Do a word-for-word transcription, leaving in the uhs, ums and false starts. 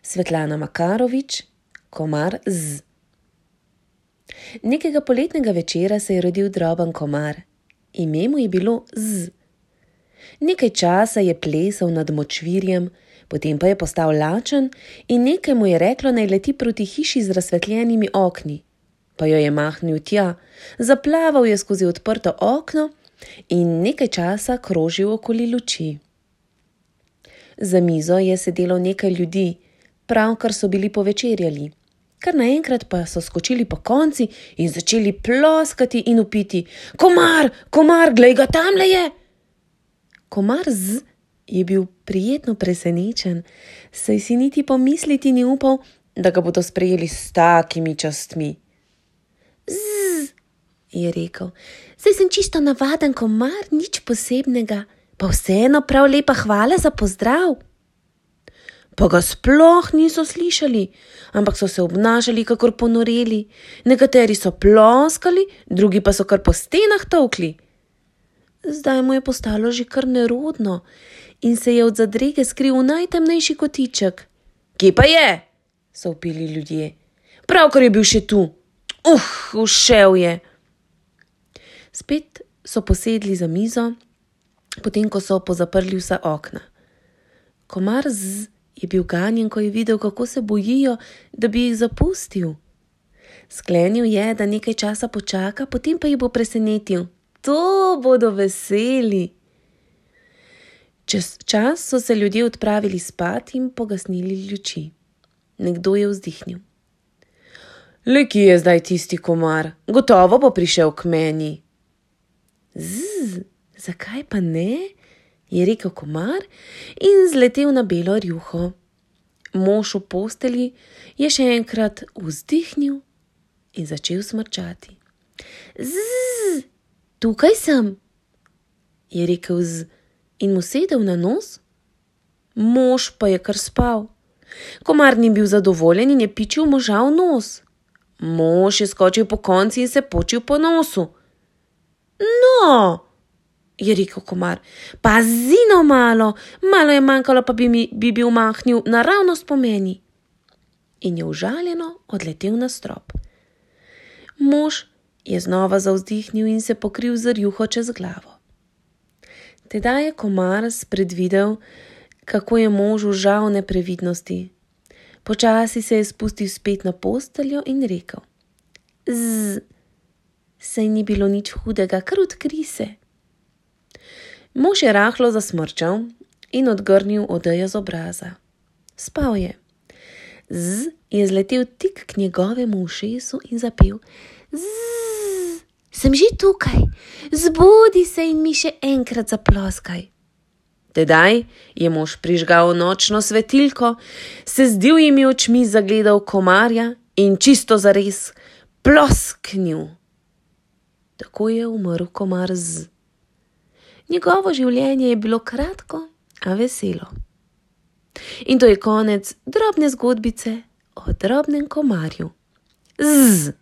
Svetlana Makarovič, Komar Z. Nekega poletnega večera se je rodil droben komar. Ime mu je bilo Z. Nekaj časa je plesal nad močvirjem, potem pa je postal lačen in nekaj mu je reklo, naj leti proti hiši z razsvetljenimi okni. Pa jo je mahnil tja, zaplaval je skozi odprto okno in nekaj časa krožil okoli luči. Za mizo je sedelo nekaj ljudi, pravkar so bili povečerjali. Kar naenkrat pa so skočili po konci in začeli ploskati in vpiti: Komar, komar, glej ga, tamle je! Komar Z je bil prijetno presenečen, saj si niti pomisliti ni upal, da ga bodo sprejeli s takimi častmi. Z, je rekel, saj sem čisto navaden komar, nič posebnega, pa vseeno prav lepa hvala za pozdrav. Pa ga sploh niso slišali, ampak so se obnašali kakor ponoreli. Nekateri so ploskali, drugi pa so kar po stenah tolkli. Zdaj mu je postalo že kar nerodno in se je od zadrege skril v najtemnejši kotiček. Kje pa je? So vpili ljudje. Pravkar je bil še tu. Uh, ušel je. Spet so posedli za mizo, potem ko so pozaprli vsa okna. Komar Z je bil ganjen, ko je videl, kako se bojijo, da bi jih zapustil. Sklenil je, da nekaj časa počaka, potem pa jih bo presenetil. To bodo veseli. Čez čas so se ljudje odpravili spat in pogasnili luči. Nekdo je vzdihnil. Le, kje je zdaj tisti komar? Gotovo bo prišel k meni. Zzz, zakaj pa ne? Je rekel komar in zletel na belo rjuho. Mož v posteli je še enkrat vzdihnil in začel smrčati. Zzz, tukaj sem, je rekel Z in mu sedel na nos. Mož pa je kar spal. Komar ni bil zadovoljen in je pičil moža v nos. Mož je skočil po konci in se počil po nosu. No, je rekel komar, pazi no malo, malo je manjkalo, pa bi, mi, bi bil mahnil naravnost po meni. In je užaljeno odletel na strop. Mož je znova zavzdihnil in se pokril z rjuho čez glavo. Tedaj je komar spredvidel, kako je možu žal neprevidnosti. Počasi se je spustil spet na posteljo in rekel: Z, saj ni bilo nič hudega, kar odkri se. Mož je rahlo zasmrčal in odgrnil odejo z obraza. Spal je. Z je zletel tik k njegovemu ušesu in zapel: Zzz, sem že tukaj, zbudi se in mi še enkrat zaploskaj. Tedaj je mož prižgal nočno svetilko, se z divjimi očmi zagledal komarja in čisto zares plosknil. Tako je umrl komar Z. Njegovo življenje je bilo kratko, a veselo. In to je konec drobne zgodbice o drobnem komarju. Zzz.